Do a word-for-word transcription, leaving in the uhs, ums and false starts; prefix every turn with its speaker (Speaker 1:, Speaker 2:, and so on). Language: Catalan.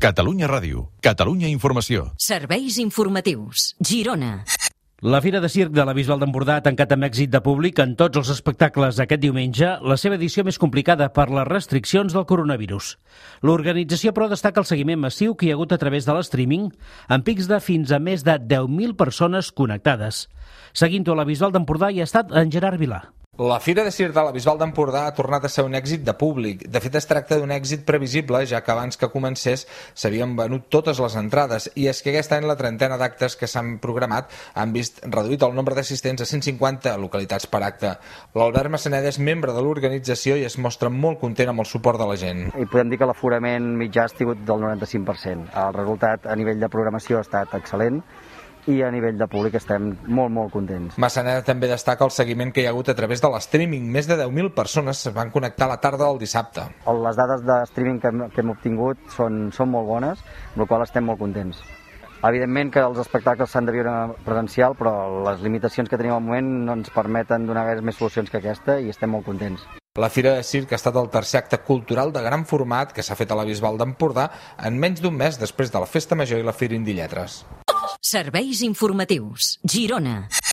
Speaker 1: Catalunya Ràdio, Catalunya Informació.
Speaker 2: Serveis informatius, Girona.
Speaker 3: La Fira de Circ de la Bisbal d'Empordà ha tancat amb èxit de públic en tots els espectacles aquest diumenge, la seva edició més complicada per les restriccions del coronavirus. L'organització, però, destaca el seguiment massiu que hi ha hagut a través de l'streaming, amb pics de fins a més de deu mil persones connectades. Seguint-ho a la Bisbal d'Empordà hi ha estat en Gerard Vilà.
Speaker 4: La Fira de Circ de la Bisbal d'Empordà ha tornat a ser un èxit de públic. De fet, es tracta d'un èxit previsible, ja que abans que comencés s'havien venut totes les entrades, i és que aquest any la trentena d'actes que s'han programat han vist reduït el nombre d'assistents a cent cinquanta localitats per acte. L'Albert Massaneda és membre de l'organització i es mostra molt content amb el suport de la gent.
Speaker 5: I podem dir que l'aforament mitjà ha sigut del noranta-cinc per cent. El resultat a nivell de programació ha estat excel·lent, i a nivell de públic estem molt, molt contents.
Speaker 4: Massaneda també destaca el seguiment que hi ha hagut a través de l'streaming. Més de deu mil persones es van connectar a la tarda del dissabte.
Speaker 5: Les dades de streaming que hem, que hem obtingut són, són molt bones, amb la qual estem molt contents. Evidentment que els espectacles s'han de viure presencial, però les limitacions que tenim al moment no ens permeten donar gaire més solucions que aquesta i estem molt contents.
Speaker 4: La Fira de Circ ha estat el tercer acte cultural de gran format que s'ha fet a la Bisbal d'Empordà en menys d'un mes després de la Festa Major i la Fira Indie Lletres.
Speaker 2: Serveis informatius, Girona.